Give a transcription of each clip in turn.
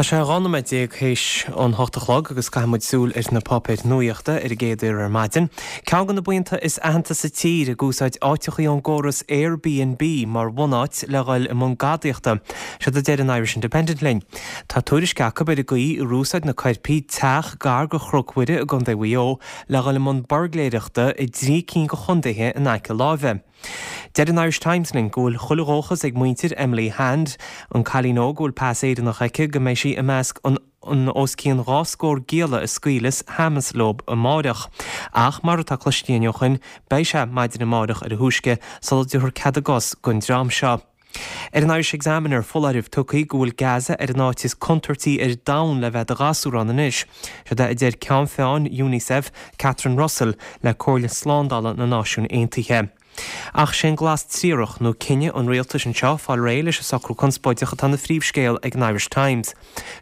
Tá sé 12 nóiméad théis an hocht a chlog agus caithfidh muid súil ar na páipéir nuaíochta ar an gcéad uair ar maidin. Ceann de na buíonta is aitheanta sa tír ag úsáid áiteachaí ón gcóras Airbnb mar bhunáit le dhul i mbun gadaíochta. Seod a deir an Irish Independent linn. Tá tuairisc acu ar an gcaoi ar úsáid na coirpigh teach gar go Chnoc Mhuire i gContae Mhaigh Eo le dhul i mbun buirgléireachta i dtrí cinn de chontaetha in aice láimhe. Deir an Irish Times linn go bhfuil chuile dhóchas ag muintir Emily Hand, an cailín óg a bhfuil pas Éireannach aici, go mbeidh sí i measc an os cionn 2 scór gialla a scaoileas Hamas leo amáireach. Ach mar atá cloiste againn ó shoin, beidh sé maidin amáireach ar a thúisce sula dtabharfar cead a gcos don dream seo. Ar an Irish Examiner, foláireamh tugtha go bhfuil Gaza ar an áit is contúirtí ar domhan le bheith i do ghasúr ann anois. Seod é a deir Ceann Feadhain Unicef, Catherine Russell, le Comhairle Slándála na Náisiún Aontaithe. Ach sé'n glas triarach, nó cinneadh an rialtais anseo fáil réidh leis an socrú conspóideach atá ina phríomhscéal ag an Irish Times.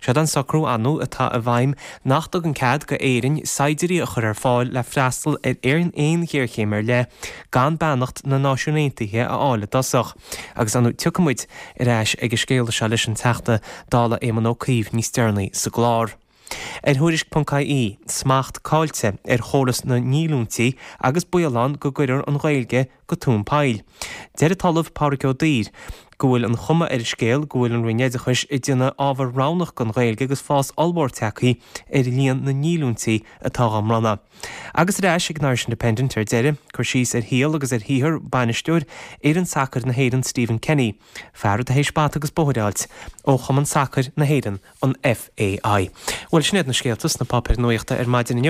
Seod an socrú ann atá i bhfeidhm nach dtugann cead go Éirinn saighdiúirí a chur ar fáil le freastal ar aon ghéarchéim ar leith gan beannacht na Náisiún Aontaithe a fháil i dtosach. Agus ar ndóigh tiocfaidh muid ar ais ag an scéal seo leis an Teachta Dála Éamon Ó Cuív níos deireanaí sa gclár. Ar Thuairisc.ie, smacht caillte ar chóras na ndíolúintí agus baol ann go gcuirfear an Ghaeilge go tóin poill. Deir an tOllamh Pádraig Ó Duibhir go bhfuil an chuma ar an scéal go bhfuil an Roinn Oideachais ag déanamh ábhar roghnach den Ghaeilge agus fás ollmhór tagtha ar líon na ndíolúintí atá á mbronnadh. Agus ar ais ag an Irish Independent ar deireadh, cur síos ar shaol agus ar shaothar bainisteoir fhoireann sacair na hÉireann Stephen Kenny, fear atá théis bata agus bóthar a fháilt ó Chumann Sacair na hÉireann, an FAI. Bhuel, sin iad na scéalta sna páipéir nuachta ar maidin inniu.